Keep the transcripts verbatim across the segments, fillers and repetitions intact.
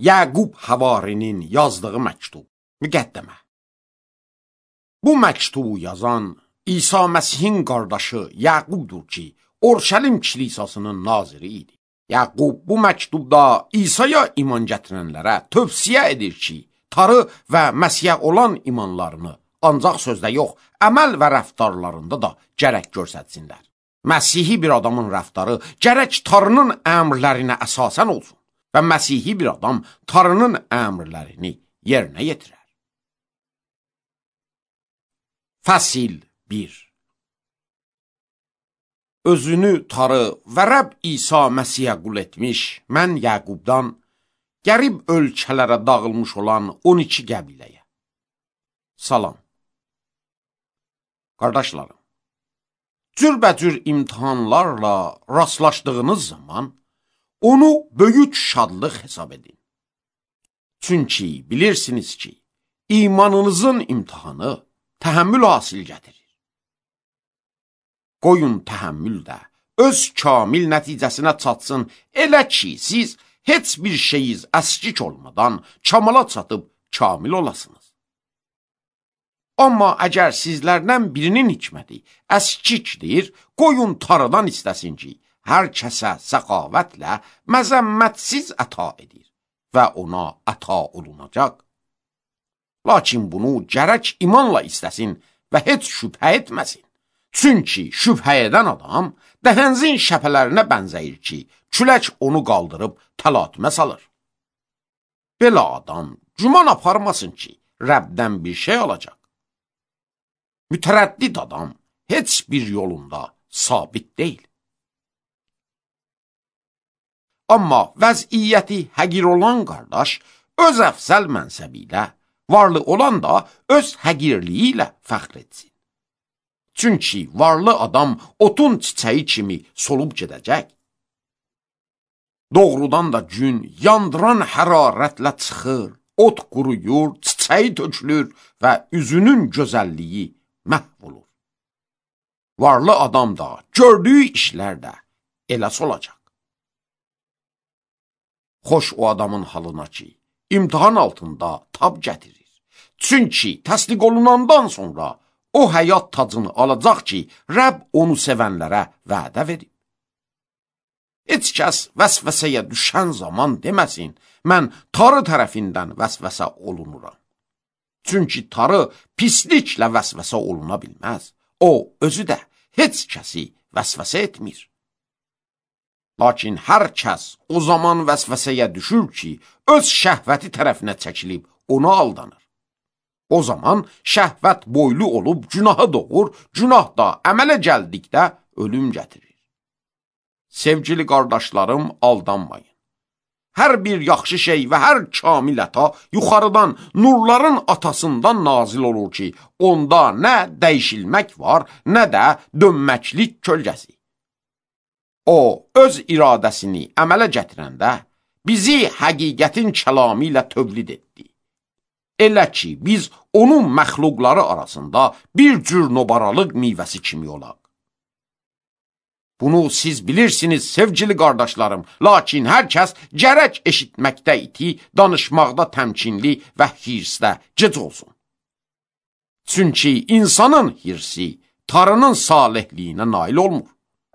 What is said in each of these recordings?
Yaqub Havarinin yazdığı məktub. Müqəddəmə. Bu məktubu yazan İsa Məsihin qardaşı Yaqubdur ki, Orşəlim kilisasının naziri idi. Yaqub bu məktubda İsa'ya iman gətirənlərə tövsiyə edir ki, tarı və Məsihə olan imanlarını ancaq sözdə yox, əməl və rəftarlarında da gərək görsətsinlər. Məsihi bir adamın rəftarı gərək tarının əmrlərinə əsasən olsun və Məsihi bir adam tarının əmrlərini yerinə yetirər. Fəsil bir. Özünü tarı və Rəbb İsa Məsihə qul etmiş, mən Yaqubdan, qərib ölkələrə dağılmış olan on iki qəbiləyə. Salam. Qardaşlarım, cürbəcür imtihanlarla rastlaşdığınız zaman onu böyük şadlıq hesab edin. Çünki bilirsiniz ki, imanınızın imtihanı təhəmmül hasil gətirir. Qoyun təhəmmül də öz kamil nəticəsinə çatsın, elə ki, siz heç bir şeyiz əskik olmadan kamala çatıb kamil olasınız. Amma əgər sizlərdən birinin hikməti əskikdir, qoyun tarıdan istəsin ki, hər kəsə səxavətlə məzəmmətsiz əta edir və ona əta olunacaq. Lakin bunu gərək imanla istəsin və heç şübhə etməsin. Çünki şübhə edən adam dəhənzin şəpələrinə bənzəyir ki, külək onu qaldırıb təlatümə salır. Belə adam güman aparmasın ki, Rəbdən bir şey alacaq. Mütərəddid adam heç bir yolunda sabit deyil. Amma vəziyyəti həqir olan qardaş öz əfsəl mənsəbi ilə, varlı olan da öz həqirliyi ilə fəxr etsin. Çünki varlı adam otun çiçəyi kimi solub gedəcək. Doğrudan da gün yandıran hərarətlə çıxır, ot quruyur, çiçəyi tökülür və üzünün gözəlliyi məhv olur. Varlı adam da gördüyü işlər də elə solacaq. Xoş o adamın halına ki, imtihan altında tab gətirir. Çünki təsdiq olunandan sonra o həyat tacını alacaq ki, Rəbb onu sevənlərə vədə verib. Heç kəs vəsvəsəyə düşən zaman deməsin, mən tarı tərəfindən vəsvəsə olunuram. Çünki tarı pisliklə vəsvəsə oluna bilməz. O, özü də heç kəsi vəsvəsə etmir. Lakin hər kəs o zaman vəsvəsəyə düşür ki, öz şəhvəti tərəfinə çəkilib ona aldanır. O zaman şəhvət boylu olub günahı doğur, günah da əmələ gəldikdə ölüm gətirir. Sevgili qardaşlarım, aldanmayın. Hər bir yaxşı şey və hər kamil əta yuxarıdan, nurların atasından nazil olur ki, onda nə dəyişilmək var, nə də dönməklik kölgəsi. O, öz iradəsini əmələ gətirəndə bizi həqiqətin kəlamı ilə tövlid etdi. Elə ki, biz onun məxluqları arasında bir cür nobaralıq meyvəsi kimi olaq. Bunu siz bilirsiniz, sevgili qardaşlarım, lakin hər kəs gərək eşitməkdə iti, danışmaqda təmkinli və hirsdə gec olsun. Çünki insanın hirsi tarının salihliyinə nail olmur.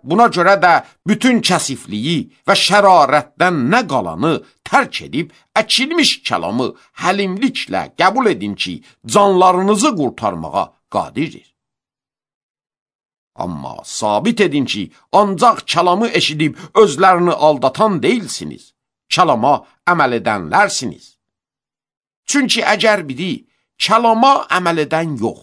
Buna görə də bütün kəsifliyi və şərarətdən nə qalanı tərk edib, əkilmiş kəlamı həlimliklə qəbul edin ki, canlarınızı qurtarmağa qadirdir. Amma sabit edin ki, ancaq kəlamı eşidib özlərini aldatan deyilsiniz, kəlama əməl edənlərsiniz. Çünki əgər biri kəlama əməl edən yox,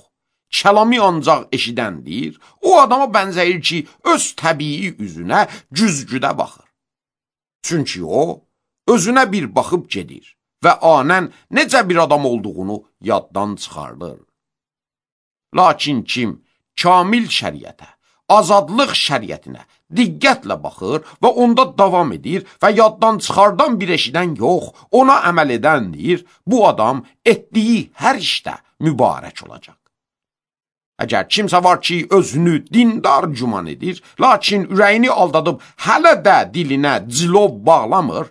kəlami ancaq eşidəndir, o adama bənzəyir ki, öz təbii üzünə güzgüdə baxır. Çünki o, özünə bir baxıb gedir və anən necə bir adam olduğunu yaddan çıxardır. Lakin kim kamil şəriətə, azadlıq şəriətinə diqqətlə baxır və onda davam edir və yaddan çıxardan bir eşidən yox, ona əməl edəndir, bu adam etdiyi hər işdə mübarək olacaq. Əgər kimsə var ki, özünü dindar güman edir, lakin ürəyini aldadıb hələ də dilinə cilov bağlamır,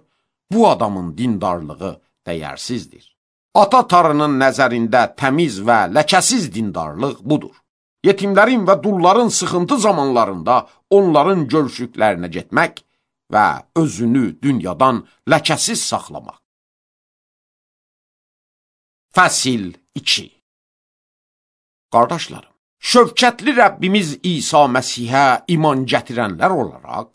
bu adamın dindarlığı dəyərsizdir. Ata tarının nəzərində təmiz və ləkəsiz dindarlıq budur. Yetimlərin və dulların sıxıntı zamanlarında onların görüşüklərinə getmək və özünü dünyadan ləkəsiz saxlamaq. Fəsil iki. Qardaşlarım, şövkətli Rəbbimiz İsa Məsihə iman gətirənlər olaraq,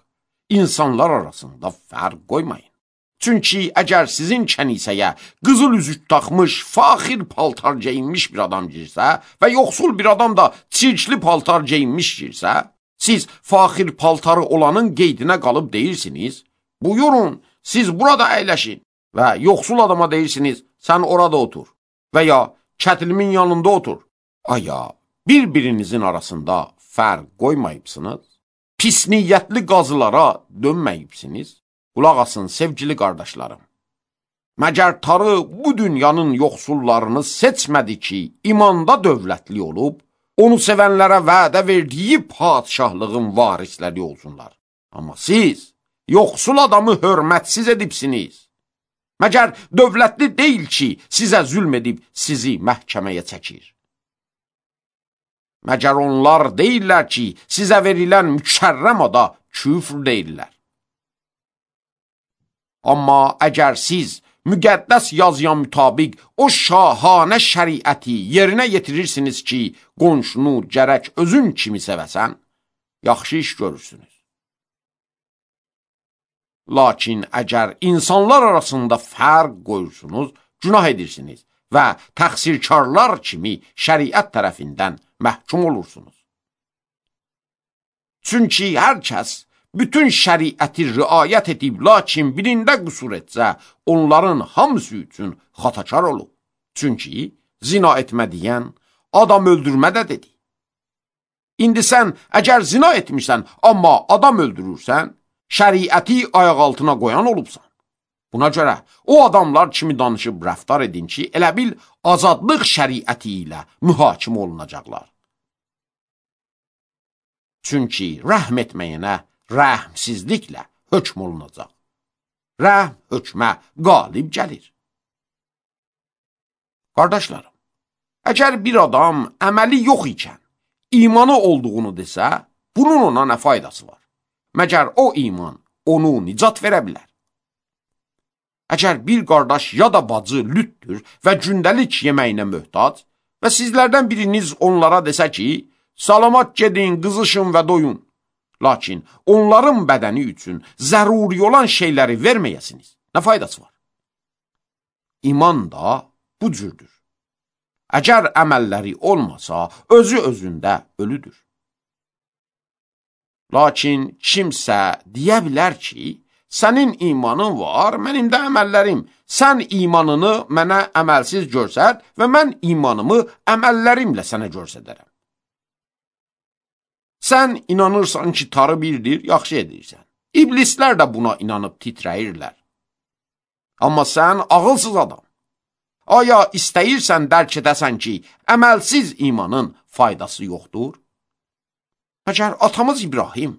insanlar arasında fərq qoymayın. Çünki əgər sizin kənisəyə qızıl üzük taxmış, faxir paltar geyinmiş bir adam girsə və yoxsul bir adam da çirkli paltar geyinmiş girsə, siz faxir paltarı olanın qeydinə qalıb deyirsiniz, buyurun, siz burada əyləşin və yoxsul adama deyirsiniz, sən orada otur və ya kətilimin yanında otur. Aya, bir-birinizin arasında fərq qoymayıbsınız, pis niyyətli qazılara dönməyibsiniz. Qulaq asın, sevgili qardaşlarım. Məgər Tanrı bu dünyanın yoxsullarını seçmədi ki, imanda dövlətli olub, onu sevənlərə vədə verdiyi padişahlığın varisləri olsunlar. Amma siz yoxsul adamı hörmətsiz edibsiniz. Məgər dövlətli deyil ki, sizə zülm edib sizi məhkəməyə çəkir. Məgər onlar deyirlər ki, sizə verilən mükərrəm ada küfr deyirlər. Amma əgər siz müqəddəs yazıya mütabiq o şahanə şəriəti yerinə yetirirsiniz ki, qonşunu gərək özün kimi sevəsən, yaxşı iş görürsünüz. Lakin əgər insanlar arasında fərq qoyursunuz, günah edirsiniz və təqsirkarlar kimi şəriət tərəfindən məhkum olursunuz. Çünki hər kəs bütün şəriəti riayət edib, lakin birində qüsur etsə, onların hamısı üçün xatakar olub. Çünki zina etmə deyən, adam öldürmə də dedi. İndi sən əgər zina etmirsən, amma adam öldürürsən, şəriəti ayaq altına qoyan olubsan. Buna görə o adamlar kimi danışıb rəftar edin ki, elə bil azadlıq şəriəti ilə mühakimə olunacaqlar. Çünki rəhm etməyənə rəhmsizliklə hökm olunacaq. Rəhm hökmə qalib gəlir. Qardaşlarım, əgər bir adam əməli yox ikən, imanı olduğunu desə, bunun ona nə faydası var? Məgər o iman onu nicat verə bilər. Əgər bir qardaş ya da bacı lütdür və gündəlik yeməyinə möhtac və sizlərdən biriniz onlara desə ki, salamat gedin, qızışın və doyun. Lakin onların bədəni üçün zəruri olan şeyləri verməyəsiniz. Nə faydası var? İman da bu cürdür. Əgər əməlləri olmasa, özü özündə ölüdür. Lakin kimsə deyə bilər ki, sənin imanın var, mənim də əməllərim. Sən imanını mənə əməlsiz görsət və mən imanımı əməllərimlə sənə görsədərəm. Sən inanırsan ki, Tanrı birdir, yaxşı edirsən. İblislər də buna inanıb titrəyirlər. Amma sən ağılsız adam. Aya istəyirsən dərk edəsən ki, əməlsiz imanın faydası yoxdur? Məgər atamız İbrahim,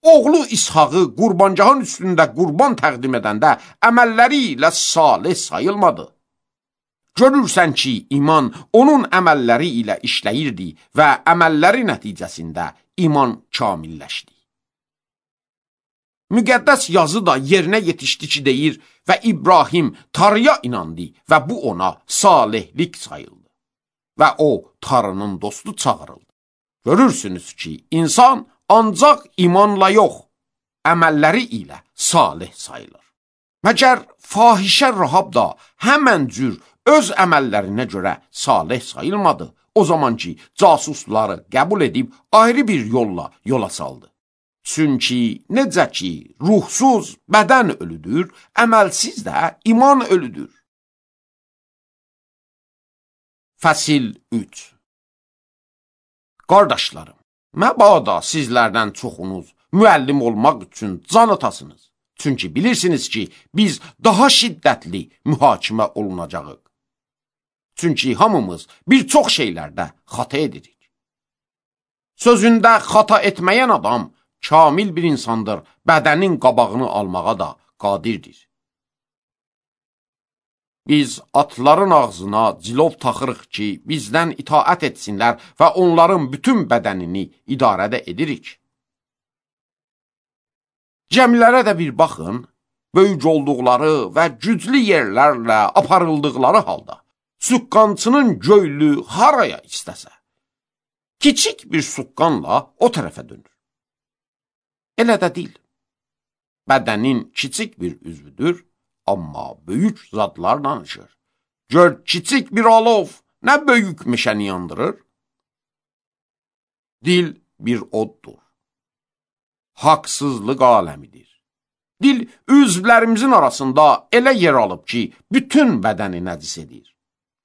oğlu İshağı qurbancağın üstündə qurban təqdim edəndə əməlləri ilə salih sayılmadı. Görürsən ki, iman onun əməlləri ilə işləyirdi və əməlləri nəticəsində iman kamilləşdi. Müqəddəs yazı da yerinə yetişdi ki, deyir və İbrahim Tanrıya inandı və bu ona salihlik sayıldı və o Tanrının dostu çağırıldı. Görürsünüz ki, insan ancaq imanla yox, əməlləri ilə salih sayılır. Məgər fahişə Rahab da həmən cür öz əməllərinə görə salih sayılmadı. O zaman ki, casusları qəbul edib ayrı bir yolla yola saldı. Çünki necə ki, ruhsuz bədən ölüdür, əməlsiz də iman ölüdür. Fəsil üç. Qardaşlarım, məbada sizlərdən çoxunuz müəllim olmaq üçün can atasınız. Çünki bilirsiniz ki, biz daha şiddətli mühakimə olunacağıq. Çünki hamımız bir çox şeylərdə xata edirik. Sözündə xata etməyən adam kamil bir insandır, bədənin qabağını almağa da qadirdir. Biz atların ağzına cilov taxırıq ki, bizdən itaət etsinlər və onların bütün bədənini idarədə edirik. Cəmilərə də bir baxın, böyük olduqları və güclü yerlərlə aparıldıqları halda, suqqançının göylü haraya istəsə, kiçik bir suqqanla o tərəfə dönür. Elə də deyil. Bədənin kiçik bir üzvüdür, amma böyük zadlar danışır. Gör, kiçik bir alov nə böyük meşəni yandırır? Dil bir oddur. Haqsızlıq aləmidir. Dil üzvlərimizin arasında elə yer alıb ki, bütün bədəni nəcis edir.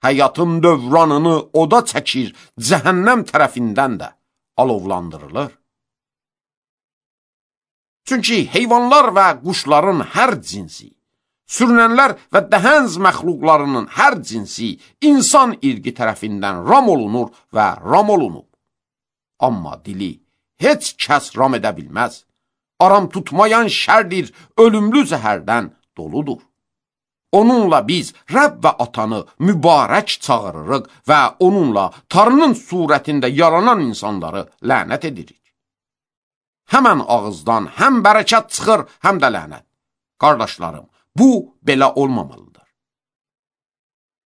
Həyatın dövranını oda çəkir, cəhənnəm tərəfindən də alovlandırılır. Çünki heyvanlar və quşların hər cinsi, sürünənlər və dəhənz məxluqlarının hər cinsi insan irqi tərəfindən ram olunur və ram olunub. Amma dili heç kəs ram edə bilməz. Aram tutmayan şərdir, ölümlü zəhərdən doludur. Onunla biz Rəbb və Atanı mübarək çağırırıq və onunla Tanrının surətində yaranan insanları lənət edirik. Həmən ağızdan həm bərəkət çıxır, həm də lənət. Qardaşlarım, bu belə olmamalıdır.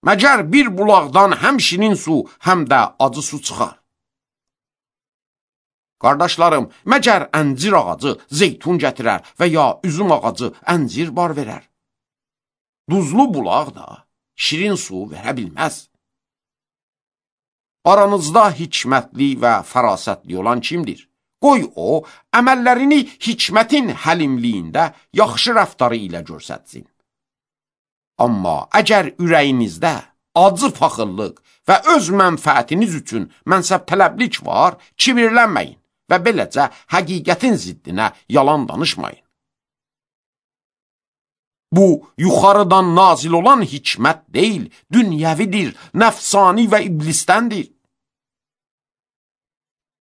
Məgər bir bulaqdan həm şirin su, həm də acı su çıxar. Qardaşlarım, məgər əncir ağacı zeytun gətirər və ya üzüm ağacı əncir bar verər? Duzlu bulaq da şirin su verə bilməz. Aranızda hikmətli və fərasətli olan kimdir? Qoy o, əməllərini hikmətin həlimliyində yaxşı rəftarı ilə görsətsin. Amma əgər ürəyinizdə acı paxıllıq və öz mənfəətiniz üçün mənsəb tələblik var, kibirlənməyin və beləcə həqiqətin ziddinə yalan danışmayın. Bu, yuxarıdan nazil olan hikmət deyil, dünyəvidir, nəfsani və iblisdəndir.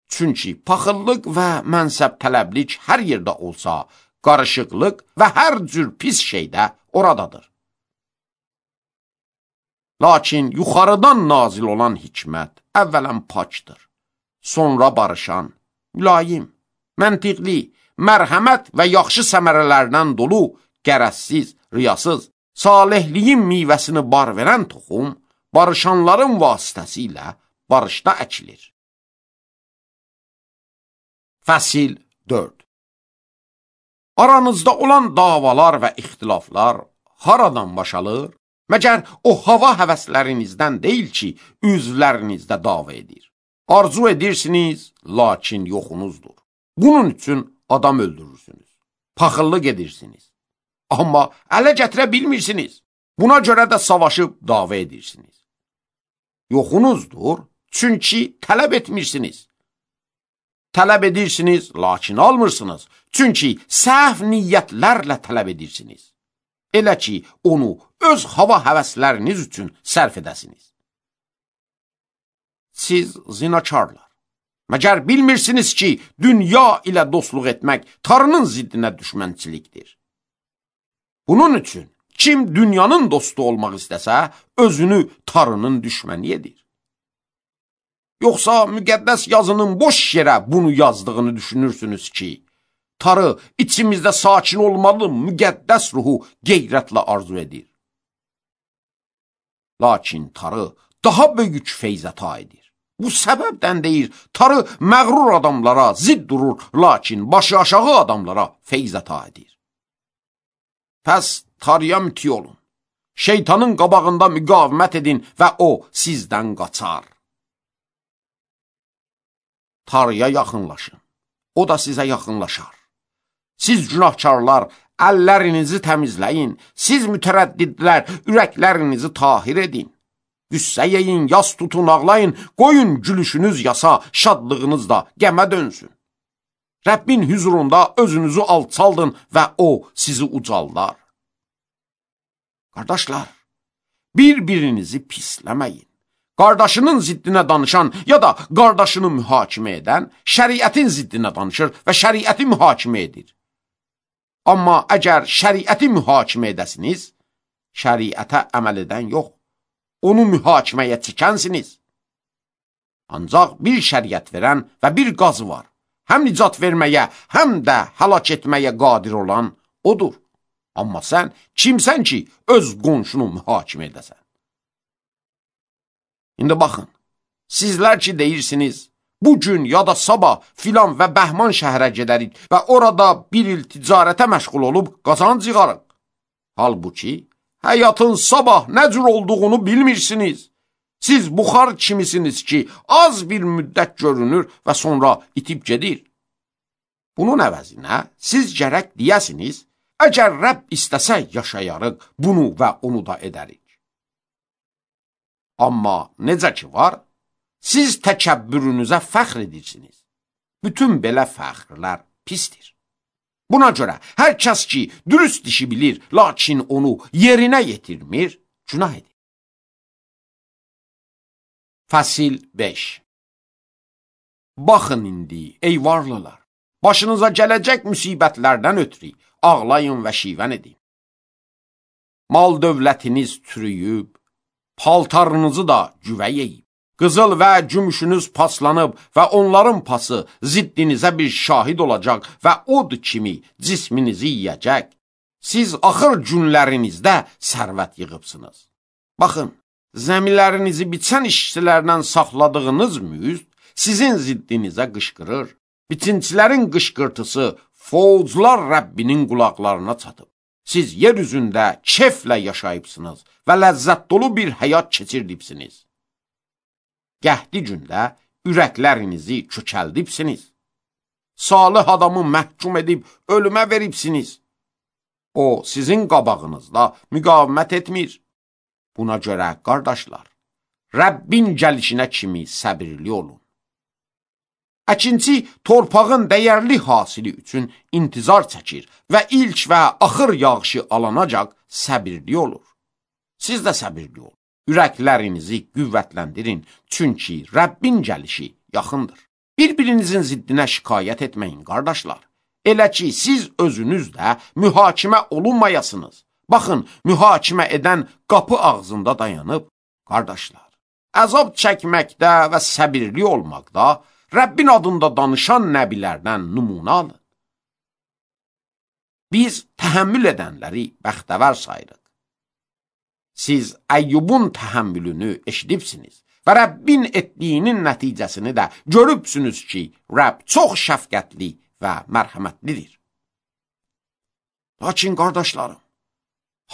Çünki paxıllıq və mənsəb tələblik hər yerdə olsa, qarışıqlıq və hər cür pis şeydə oradadır. Lakin yuxarıdan nazil olan hikmət əvvələn pakdır, sonra barışan, mülayim, məntiqli, mərhəmət və yaxşı səmərələrdən dolu, qərəzsiz, riyasız, salihliyin meyvəsini bar verən toxum, barışanların vasitəsilə barışda əkilir. Fəsil dörd. Aranızda olan davalar və ixtilaflar haradan başalır? Məgər o hava həvəslərinizdən deyil ki, üzvlərinizdə dava edir. Arzu edirsiniz, lakin yoxunuzdur. Bunun üçün adam öldürürsünüz. Paxıllıq edirsiniz. Amma ələ gətirə bilmirsiniz. Buna görə də savaşıb dava edirsiniz. Yoxunuzdur, çünki tələb etmirsiniz. Tələb edirsiniz, lakin almırsınız. Çünki səhv niyyətlərlə tələb edirsiniz. Elə ki, onu öz hava həvəsləriniz üçün sərf edəsiniz. Siz zinakarlar. Məgər bilmirsiniz ki, dünya ilə dostluq etmək Tanrının ziddinə düşmənçilikdir. Bunun üçün, kim dünyanın dostu olmaq istəsə, özünü Tanrının düşməni edir. Yoxsa müqəddəs yazının boş yerə bunu yazdığını düşünürsünüz ki, Tanrı içimizdə sakin olmalı müqəddəs ruhu qeyrətlə arzu edir. Lakin Tanrı daha böyük feyzəta edir. Bu səbəbdən deyir, Tanrı məğrur adamlara zidd durur, lakin başı aşağı adamlara feyzəta edir. Pəs Tanrıya müti olun. Şeytanın qabağında müqavimət edin və o sizdən qaçar. Tanrıya yaxınlaşın. O da sizə yaxınlaşar. Siz günahkarlar, əllərinizi təmizləyin. Siz mütərəddidlər, ürəklərinizi tahir edin. Qüssə yeyin, yas tutun, ağlayın. Qoyun gülüşünüz yasa, şadlığınız da qəmə dönsün. Rəbbin hüzurunda özünüzü alçaldın və o sizi ucaldar. Qardaşlar, bir-birinizi pisləməyin. Qardaşının ziddinə danışan ya da qardaşını mühakimə edən şəriətin ziddinə danışır və şəriəti mühakimə edir. Amma əgər şəriəti mühakimə edəsiniz, şəriətə əməl edən yox, onu mühakiməyə çəkənsiniz. Ancaq bir şəriət verən və bir qazı var. Həm nicat verməyə, həm də həlak etməyə qadir olan odur. Amma sən kimsən ki, öz qonşunu mühakimə edəsən? İndi baxın, sizlər ki deyirsiniz, bugün ya da sabah filan və Bəhman şəhərə gedərik və orada bir il ticarətə məşğul olub qazanc yığarıq. Halbuki, həyatın sabah nə cür olduğunu bilmirsiniz. Siz buxar kimisiniz ki, az bir müddət görünür və sonra itib gedir. Bunun əvəzinə siz gərək deyəsiniz, əgər Rəbb istəsə yaşayarıq, bunu və onu da edərik. Amma necə ki var, siz təkəbbürünüzə fəxr edirsiniz. Bütün belə fəxrlər pisdir. Buna görə hər kəs ki, dürüst işi bilir, lakin onu yerinə yetirmir, günah edir. Fəsil beş. Baxın indi, ey varlılar, başınıza gələcək müsibətlərdən ötürü ağlayın və şivən edin. Mal dövlətiniz çürüyüb, paltarınızı da güvə yeyib. Qızıl və gümüşünüz paslanıb və onların pası ziddinizə bir şahid olacaq və od kimi cisminizi yiyəcək. Siz axır günlərinizdə sərvət yığıbsınız. Baxın, zəmilərinizi biçən işçilərdən saxladığınız müzd sizin ziddinizə qışqırır. Biçincilərin qışqırtısı fovzlar Rəbbinin qulaqlarına çatıb. Siz yer üzündə keflə yaşayıbsınız və ləzzət dolu bir həyat keçirdibsiniz. Qəhdi gündə ürəklərinizi kökəldibsiniz. Salih adamı məhkum edib ölümə veribsiniz. O, sizin qabağınızda müqavimət etmir. Buna görə, qardaşlar, Rəbbin gəlişinə kimi səbirli olun. Əkinçi torpağın dəyərli hasili üçün intizar çəkir və ilk və axır yağışı alanacaq səbirli olur. Siz də səbirli olun. Ürəklərinizi qüvvətləndirin, çünki Rəbbin gəlişi yaxındır. Bir-birinizin ziddinə şikayət etməyin, qardaşlar. Elə ki, siz özünüz də mühakimə olunmayasınız. Baxın, mühakimə edən qapı ağzında dayanıb, qardaşlar, əzab çəkməkdə və səbirli olmaqda Rəbbin adında danışan nəbilərdən nümunə alın. Biz təhəmmül edənləri bəxtəvər sayırıq. Siz Əyyubun təhəmmülünü eşidibsiniz və Rəbbin etdiyinin nəticəsini də görübsünüz ki, Rəbb çox şəfqətli və mərhəmətlidir. Lakin qardaşlarım,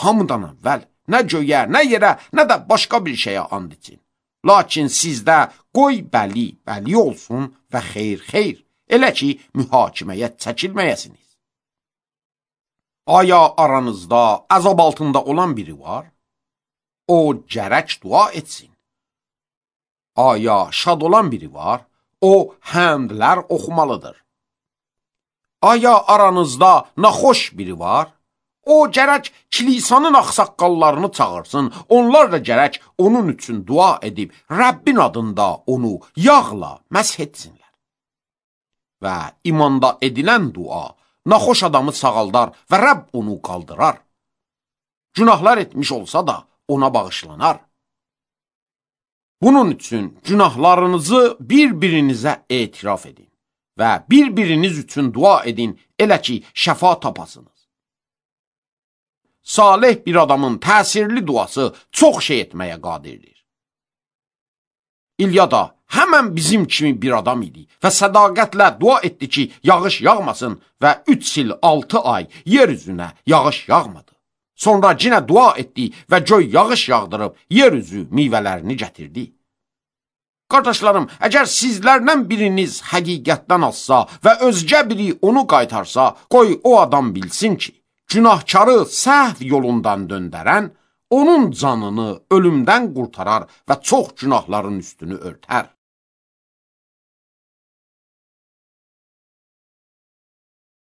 hamıdan əvvəl nə göyə, nə yerə, nə də başqa bir şeyə and için. Lakin sizdə qoy bəli, bəli olsun və xeyr, xeyr, elə ki, mühakiməyə çəkilməyəsiniz. Aya aranızda əzab altında olan biri var? O gərək dua etsin. Aya şad olan biri var? O həmdlər oxumalıdır. Aya aranızda naxoş biri var? O gərək kilisanın axsaqqallarını çağırsın, onlar da gərək onun üçün dua edib, Rəbbin adında onu yağla məsh etsinlər. Və imanda edilən dua naxoş adamı sağaldar və Rəbb onu qaldırar. Günahlar etmiş olsa da ona bağışlanar. Bunun üçün günahlarınızı bir-birinizə etiraf edin və bir-biriniz üçün dua edin, elə ki, şəfa tapasınız. Salih bir adamın təsirli duası çox şey etməyə qadirdir. İlya da həmən bizim kimi bir adam idi və sədaqətlə dua etdi ki, yağış yağmasın və üç il altı ay yer üzünə yağış yağmadı. Sonra yenə dua etdi və göy yağış yağdırıb yer üzü meyvələrini gətirdi. Qardaşlarım, əgər sizlərdən biriniz həqiqətdən azsa və özgə biri onu qaytarsa, qoy o adam bilsin ki, günahkarı səhv yolundan döndərən, onun canını ölümdən qurtarar və çox günahların üstünü örtər.